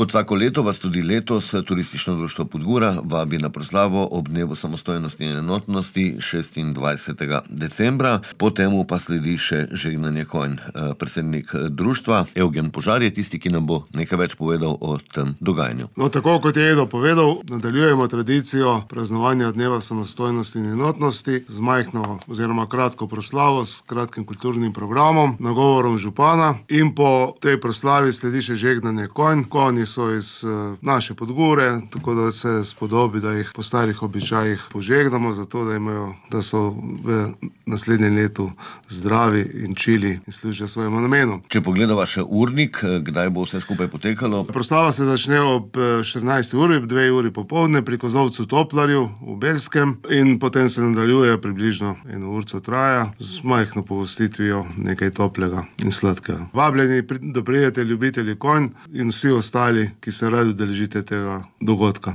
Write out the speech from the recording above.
Kot vsako leto vas tudi letos Turistično društvo Podgora vabi na proslavo ob dnevu samostojnosti in enotnosti 26. decembra. Po temu pa sledi še žegnanje konj. Predsednik društva Evgen Požar je tisti, ki nam bo nekaj več povedal o tem dogajanju. No, tako kot je Edo povedal, nadaljujemo tradicijo praznovanja dneva samostojnosti in enotnosti z majhno oziroma kratko proslavo, s kratkim kulturnim programom, nagovorom župana, in po tej proslavi sledi še žegnanje konj. Konji so iz naše Podgore, tako da se spodobi, da jih po starih običajih požegnamo, zato da so v naslednjem letu zdravi in čili in služijo svojemu namenu. Če pogledava še urnik, kdaj bo vse skupaj potekalo? Proslava se začne ob 14. uri, 2 uri popoldne pri Kozolcu Toplarju v Belskem in potem se nadaljuje približno 1 urco traja z majhno pogostitvijo, nekaj toplega in sladkega. Vabljeni, da pridete ljubitelji konj in vsi ostali, ki se radi udeležite tega dogodka.